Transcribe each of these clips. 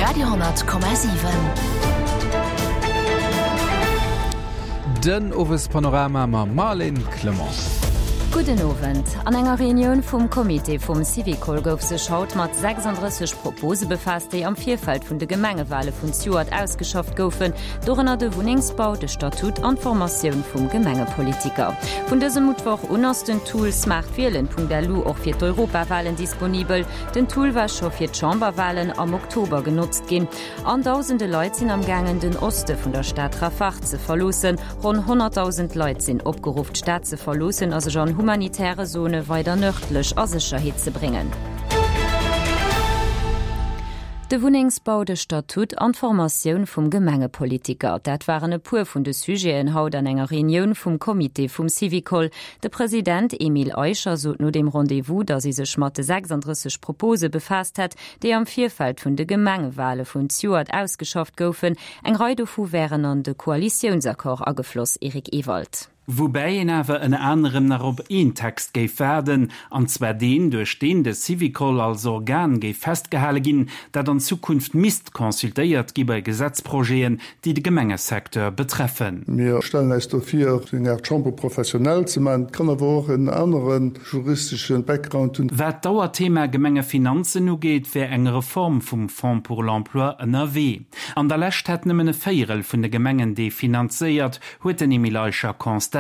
Radio,7. Den Owespanorama mam Marlène Clement. Gudden Owend. An enger Reunioun vum Comité vum Syvicol gouf sech haut mat 36 Propose befaasst, déi am Virfeld vun de Gemengewale vun zejoert ausgeschafft goufen, dorënner de Wunnengsbau, de Statut an d'Formatioun vum Gemengepolitiker. Vun dësem Muttwoch un ass den Tool smartwielen.lu och fir d'Europawalen disponibel. Den Tool war scho fir d'Chamberwalen am Oktober genotzt ginn. An dausende Leit sinn am gaangen den Oste vun der Stad Rafah ze verloossen. Ronn 100.000 Leit sinn opgeruff d'Stad ze verloossen a sech an humanitäre Zone weider nërdlech a Sécherheet ze bréngen. De Wunnengsbau, de Statut an d'Formatioun vum Gemengepolitiker, dat waren e puer vun de Sujeten haut an enger Reunioun vum Comité vum Syvicol. De President Emile Eicher sot no deem Rendez-vous, datt ee sech mat de 36 Propose befaasst hätt, déi am Virfeld vun de Gemengewale vun zejoert ausgeschafft goufen. Eng Rei dovu wären an de Koalitiounsaccord agefloss. Eric Ewald. Woubäi een awer ënner anerem nach op een Text géif waarden, an zwar deen, duerch deen de Syvicol als Organ géif festgehale ginn, dat an Zukunft misst consultéiert gi bei Gesetzprojeten, déi de Gemengesecteur betreffen. Mir stellen äis do vir, eng Aart Chambre professionnelle ze maachen. Et kann awer och en anere juristesche Background hunn. Wat d'Dauerthema Gemengefinanzen ugeet, wär eng Reform vum Fonds pour l'emploi ënnerwee. An der Lescht hätt nëmmen e Véierel vun de Gemengen dee finanzéiert, huet den Emile Eicher constatéiert.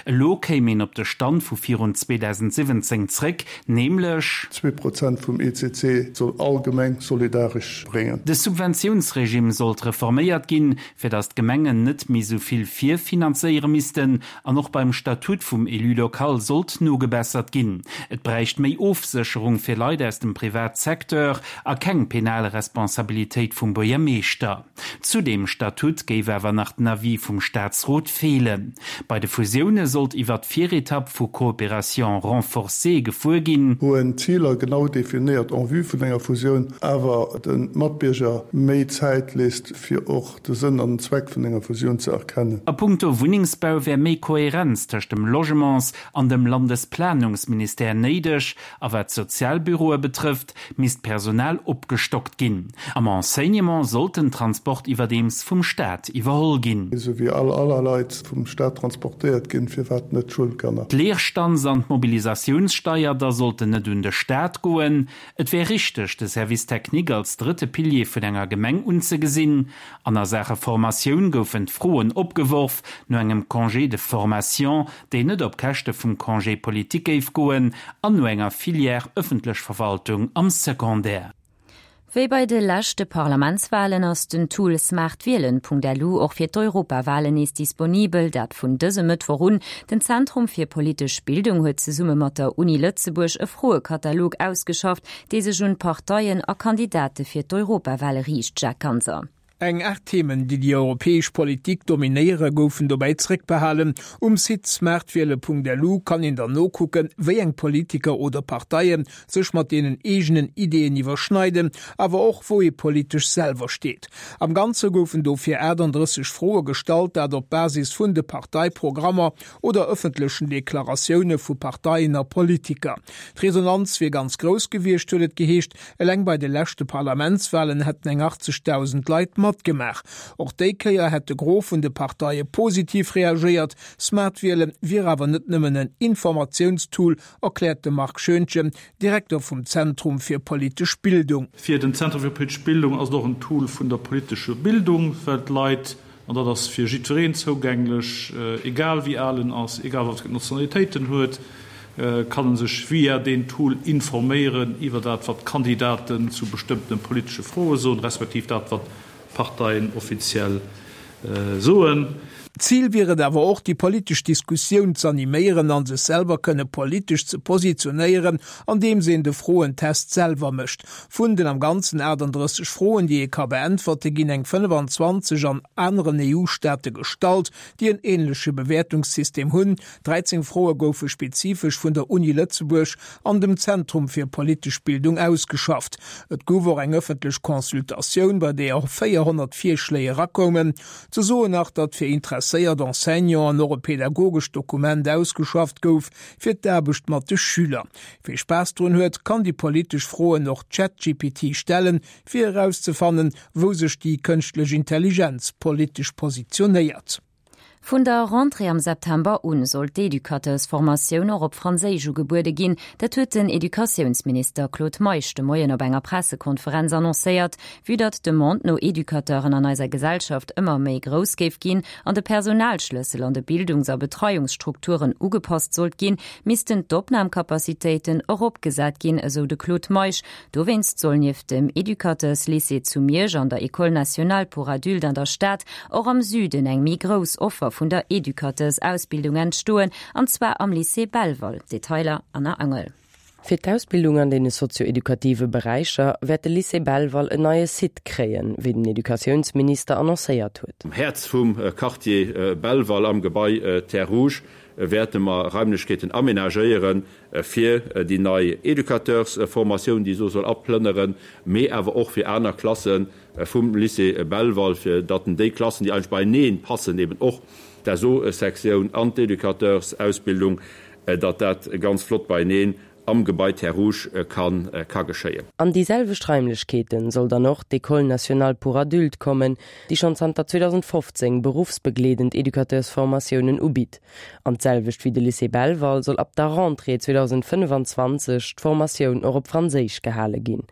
Elo kéim een op de Stand vu virun 2017 zréck, nämlech. 2% vum ECC soll all Gemeng solidaresch bréngen. De Subventiounsregime sollt reforméiert ginn, fir datt d'Gemengen net méi sou vill virfinanzéiere missten. An och beim Statut vum Élu local sollt nogebessert ginn. Et bräicht méi Ofsécherung fir Leit aus dem Privatsecteur a keng penal Responsabilitéit vum Buergermeeschter. Zu deem Statut géif awer nach den Avis vum Staatsrot feelen. Bei de Fusioune sollt iwwer d'Viretapp vu Coopération renforcée gefuer ginn. Wou en d'Ziler genau definéiert en vue vun enger Fusioun, awer de Matbierger méi Zäit léisst, fir och de Sënn an den Zweck vun enger Fusioun ze erkennen. A puncto Wunnengsbau wär méi Kohärenz tëscht dem Logements an dem Landesplanungsministère néideg. A wat d'Sozialbüroe betrëfft, misst d'Personal opgestockt ginn. Am Enseignement sollt den Transport iwwerdeems vum Staat iwwerholl ginn. Esou wéi all aller Leit vum Staat transportéiert ginn, firwat net d'Schoulkanner? D'Leerstands an d'Mobilisatiounssteier da sollten net un de Staat goen. Et wär richteg, de Service technique als drëtte Pilier vun enger Gemeng unzegesinn. An a Saache Formatioun goufen d'Froen opgeworf no engem Congé de formation, deen net op Käschte vum Congé politique géif goen, an no enger Filière ëffentlech Verwaltung am Secondaire. Wéi bei de leschte Parlamentswalen ass den Tool smartwielen.lu och fir d'Europawalen nees disponibel, dat vun dësem Mëttwoch un. Den Zentrum fir politesch Bildung huet zesumme mat der Uni Lëtzebuerg e Froekatalog ausgeschafft, dee sech un d'Parteien a Kandidate fir d'Europawale riicht. Jacques Ganser. Eng 8 Themen, déi déi europäesch Politik dominéiere goufen dobäi zréckbehalen. Um Site smartwiele.lu kann een dann nokucken, wéi eng Politiker oder Parteie sech mat deenen eegenen Ideeën iwwerschneiden, awer och wou ee politesch selwer steet. Am Ganze goufen dofir 38 Froe gestallt, dat op Basis vun de Parteiprogrammer oder ëffentlechen Deklaratioune vu Parteien a Politiker. D'Resonanz wier ganz grouss gewiescht, huet et geheescht. Eleng bei de leschte Parlamentswalen hätten eng 80.000 Leit matgemaach. Och déi Kéier hätt de Gros vun de Parteie positiv reagéiert. Smart-Wiele wier awer net nëmmen en Informatiounstool, erkläert de Marc Schoentgen, Direkter vum Zentrum fir politesch Bildung. Fir den Zentrum fir politesch Bildung ass et och en Tool vun der politesche Bildung, well d'Leit An dat ass fir jiddwereen zougänglech, egal wéi al en ass, egal wat fir Nationalitéit en huet, kann e sech via deen Tool informéieren iwwer dat, wat d'Kandidaten zu bestëmmtene politesche Froe soen, respektiv dat, wat d'Parteien offiziell soen. Zil wier et awer och, déi politesch Diskussioun z'animéieren a sech selwer kënne politesch ze positionéieren, andeems een de Froentest selwer mécht. Vun den am Ganzen 38 Froen, déi ee ka beäntwerte, ginn eng 25 an aneren EU-Staate gestallt, déi en änleche Bewäertungssystem hunn. 13 Froe goufe spezifesch vun der Uni Lëtzebuerg an dem Zentrum fir politesch Bildung ausgeschafft. Et gouf och eng ëffentlech Consultatioun, bei deeër 400 Virschléi erakoumen. Ze soen nach, datt fir Interesséiert. interesséiert Enseignanten och e pedagogescht Dokument ausgeschafft gouf fir d'Aarbecht mat de Schüler. Wie Spaass drun huet, kann déi politesch Froen och ChatGPT stellen, fir erauszefannen, wou sech déi kënschtlech Intelligenz politesch positionéiert. Vun der Rentrée am September un soll d'Educateursformatioun och op Franséisch ugebuede ginn. Dat huet den Educatiounsminister Claude Meisch de Moien op enger Pressekonferenz annoncéiert. Vue datt d'Demande no Educateuren an eiser Gesellschaft ëmmer méi grouss géif ginn an de Personalschlëssel an de Bildungs a Betreiungsstrukturen ugepasst sollt ginn, missten d'Opnamcapacitéiten eropgesat ginn, esou de Claude Meisch. Dowéinst soll nieft dem Educateurslycée zu Miersch an der École nationale pour adultes an der Stad och am Süden eng méi grouss Offer vun der Educateursausbildung entstoen, an zwar am Lycée Belval. Detailer Anna Angel. Fir d'Ausbildung an deene sozio-edukative Beräicher wäert de Lycée Belval en neie Site kréien, wéi den Educatiounsminister annoncéiert huet. Am Häerz vum Quartier Belval am Gebai Terres Rouges wäerte mer Raimlechkeeten amenagéieren, fir déi nei Educateursformatioun, déi esou soll aplënneren, mee awer och fir aner Klasse vum Lycée Belval, fir datt en déi Klassen, déi eigentlech beieneen passen, eben och d'SO-Sektioun an d'Educateursausbildung, datt dat ganz flott beieneen am Gebai Terres Rouges ka geschéien. An déi selwecht Raimlechkeete soll dann och d'École nationale pour adultes kommen, déi schonn zanter 2015 beruffsbegleedend Educateursformatiounen ubitt. An d'selwecht wéi de Lycée Belval soll ab der Rentrée 2025 d'Formatioun och op Franséisch gehale ginn.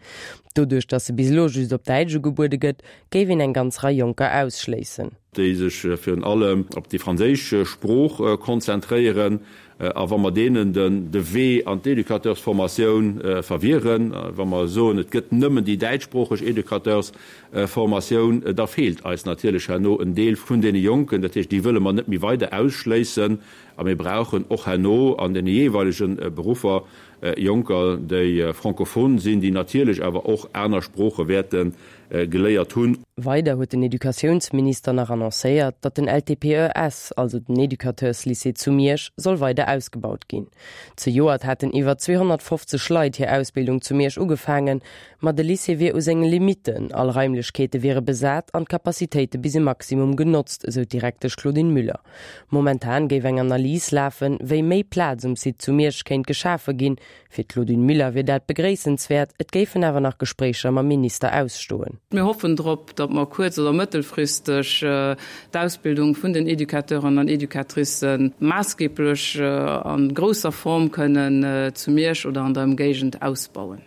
Doduerch, datt se bis elo just op Däitsch ugebuede gëtt, géif een eng ganz Rei Jonker ausschléissen. Déi sech virun allem op déi franséisch Sprooch konzentréieren. A wa mer deenen de Wee an d'Educateursformatioun verwieren, wa mer soen, et gëtt nëmmen déi däitschsproocheg Educateursformatioun, da feelt eis natierlech herno en Deel vun deene Jonken. Dat heescht, déi wëlle mer net méi weider ausschléissen. A mir brauchen och herno an deene jeeweilege Beruffer Jonker, déi francophone sinn, déi natierlech awer och aner Sprooche wäerte geléiert hunn. Weider huet den Educatiounsminister nach annoncéiert, datt den LTPES, also den Educateurslycée zu Miersch, soll weider ausgebaut ginn. Zejoert haten iwwer 250 Leit hir Ausbildung zu Miersch ugefaangen, ma de Lycée wier u senge Limitten, all Raimlechkeete wiere besat an d'Capacitéite bis e Maximum genotzt, esou d'Direktesch Claudine Müller. Momentan géif eng Analys lafen, wéi méi Plaz um Site zu Miersch kéint geschafe ginn. Fir d'Claudine Muller wier dat begréissenswäert, et géifen awer nach Gespréicher mam Minister ausstoen. Mir hoffen drop, datt mer kuerz oder mëttelfristeg d'Ausbildung vun den Educateuren an Educatricë maassgeblech a grousser Form kënnen zu Miersch oder an der Ëmgéigend ausbauen.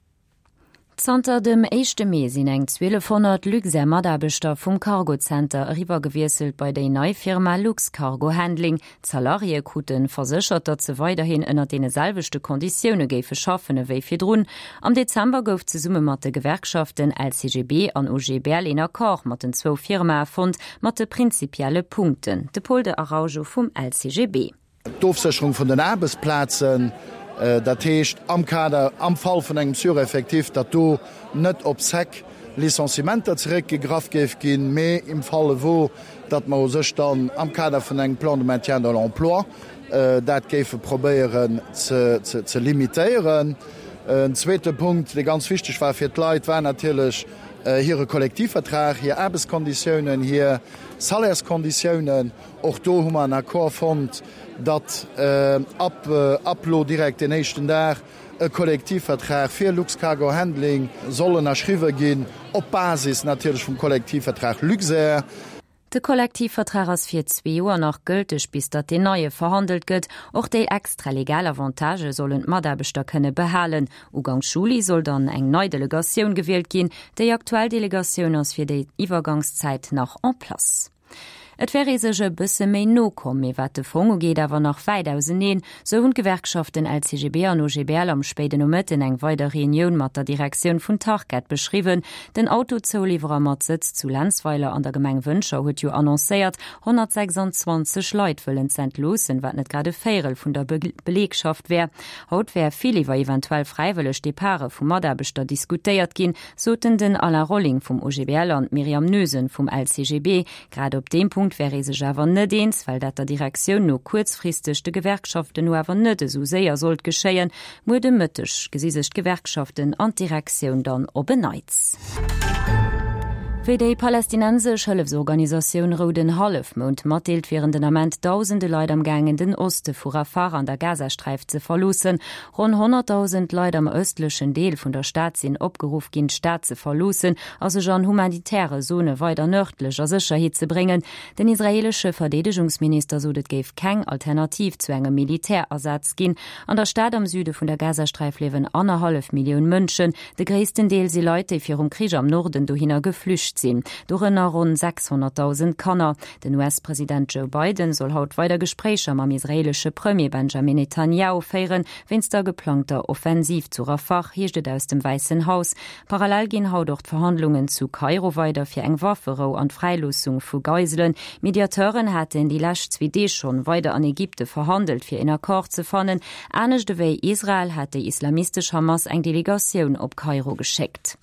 Zanter dem éischte Mee sinn eng 1.200 Luxair-Mataarbechter vum Cargo-Center eriwwergewiesselt bei déi nei Firma Luxcargo Handling. D'Salariéë krute verséchert, datt se weiderhin ënner deene selwechte Konditioune géife schaffen ewéi virdrun. Am Dezember gouf zesumme mat de Gewerkschaften LCGB an OGBL een Accord mat den zwou Firmae fonnt, mat de prinzipielle Punkten. De Paul de Araujo vum LCGB. D'Ofsécherung vun den Aarbechtsplazen, dat heescht am Kader, am Fall vun engem Sureffectif, datt do net op sec Licenciementer zeréckgegraff géif ginn, mee im Falle wo, datt mer u sech dann am Kader vun engem Plan de maintien de l'emploi dat géife probéieren ze limitéieren. En zweete Punkt, dee ganz wichteg war fir d'Leit, war natierlech hire Kollektivvertrag, hir Aarbechtskonditiounen, hir Salärskonditiounen. Och do hu mer en Accord fonnt, datt ab ab lo direkt deen éischten Dag e Kollektivvertrag fir Luxcargo Handling soll ënnerschriwwe ginn, op Basis natierlech vum Kollektivvertrag Luxair. De Kollektivvertrag ass fir zwee Joer nach gëlteg, bis datt deen neie verhandelt gëtt. Och déi extra legal Avantagë sollen d'Mataarbechter kënne behalen. Uganks Juli soll dann eng nei Delegatioun gewielt ginn. Déi aktuell Delegatioun ass fir déi Iwwergangszäit nach en place. Et wär ee sech e bësse méi no komm, mee wat de Fong ugeet awer nach wäit auseneen. Sou hunn d'Gewerkschaften LCGB an OGBL am spéiden Nomëtten eng weider Reunioun mat der Direktioun vun Tarkett beschriwwen. Den Autozouliwwerer mat Sëtz zu Lenzweiler an der Gemeng Wëntger huet jo annoncéiert, 126 Leit wëllen z'entloossen, wat net grad e Véierel vun der Belegschaft wär. Haut wär vill iwwer eventuell fräiwëlleg Departe vu Mataarbechter diskutéiert ginn, soten den Alain Rolling vum OGBL an d'Myriam Noesen vum LCGB. Grad op deem Punkt wär ee sech awer net eens, well dat der Direktioun no kuerzfristeg, de Gewerkschaften no awer net esou séier sollt geschéien. Muer de Mëtteg gesi sech d'Gewerkschaften an d'Direktioun dann op en Neits. Wéi déi palästinensesch Hëllefsorganisatioun Rouden Hallefmound matdeelt, wieren den Ament dausende Leit am gaangen, den Oste vu Rafah an der Gazasträif ze verloossen. Ronn 100.000 Leit am ëstlechen Deel vun der Stad sinn opgeruff ginn, d'Stad ze verloossen a sech an humanitäre Zone weider nërdlech a Sécherheet ze bréngen. Den israeelesche Verdeedegungsminister sot, et géif keng Alternativ zu engem Militärasaz ginn. An der Stad am Süde vun der Gazasträif liewen annerhallef Millioun Mënschen. De gréissten Deel si Leit, déi virum Krich am Norden dohinner geflücht sinn, dorënner ronn 600.000 Kanner. Den US-President Joe Biden soll haut weider Gespréicher mam israeelesche Premier Benjamin Netanjahu féieren, wéinst der geplangter Offensiv zu Rafah, heescht et aus dem Wäissen Haus. Parallel ginn haut och d'Verhandlungen zu Kairo weider fir eng Wafferou an d'Fräiloossung vu Geiselen. Mediateuren haten déi lescht zwee Deeg schonn weider an Ägypte verhandelt, fir een Accord ze fannen. Anescht ewéi Israel hat déi islamistesch Hamas eng Delegatioun op Kairo geschéckt.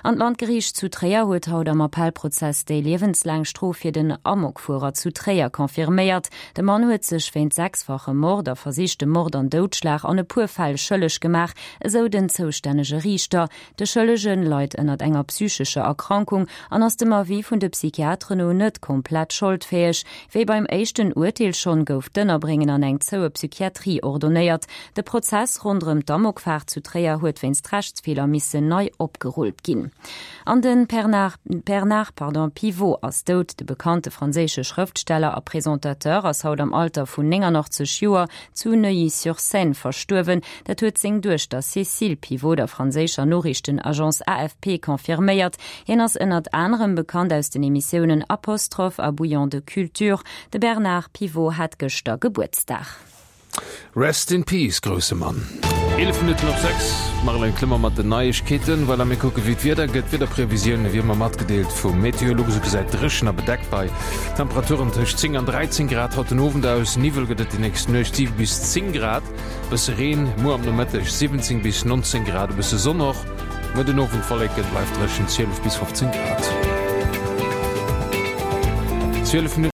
An d'Landgeriicht zu Tréier huet haut am Appellprozess déi liewenslaang Strof fir den Amokfuerer zu Tréier confirméiert. De Mann huet sech wéint sechsfachem Mord a versichtem Mord an Doudschlag an e puer Fäll schëlleg gemaach, esou den zoustännege Riichter. De Schëllege leit ënnert enger psychescher Erkrankung an ass dem Avis vun de Psychiateren no net komplett scholdfäeg. Wéi beim éischten Urteel schonn, gouf d'Ënnerbréngen an eng zoue Psychiatrie ordonéiert. De Prozess ronderëm d'Amokfaart zu Tréier huet wéinst Rechtsfeeler missen nei opgerullt ginn. An de Bernard pardon, Pivot ass dout. De bekannte franséische Schrëftsteller a Presentateur ass haut am Alter vun 89 Joer zu Neuilly-sur-Seine verstuerwen. Dat huet seng Duechter Cécile Pivot der franséischer Noriichtenagence AFP confirméiert. Hien ass ënnert anerem bekannt aus den Emissiounen Apostrophe a Bouillon de culture. De Bernard Pivot hat gëschter Gebuertsdag. Rest in peace, grousse Mann. 11 Minutten op 6, d'Marlène Clement mat den Neiegkeeten. Voilà, mir kucke wéi d'Wieder gëtt. D'Wiederprevisioune wéi ëmmer matgedeelt vum Meteolux. Et gesäit dréchen a bedeckt bei Temperaturen tëscht 10 an 13 Grad haut den Owend aus. Niwwel gëtt et déi nächst Nuecht, 7 bis 10 Grad. Bësse Reen muer am Nomëtteg, 17 bis 19 Grad, e bësse Sonn och. Muer den Owend Wolleken, bleift dréchen, 12 bis 15 Grad. 12 Minutten.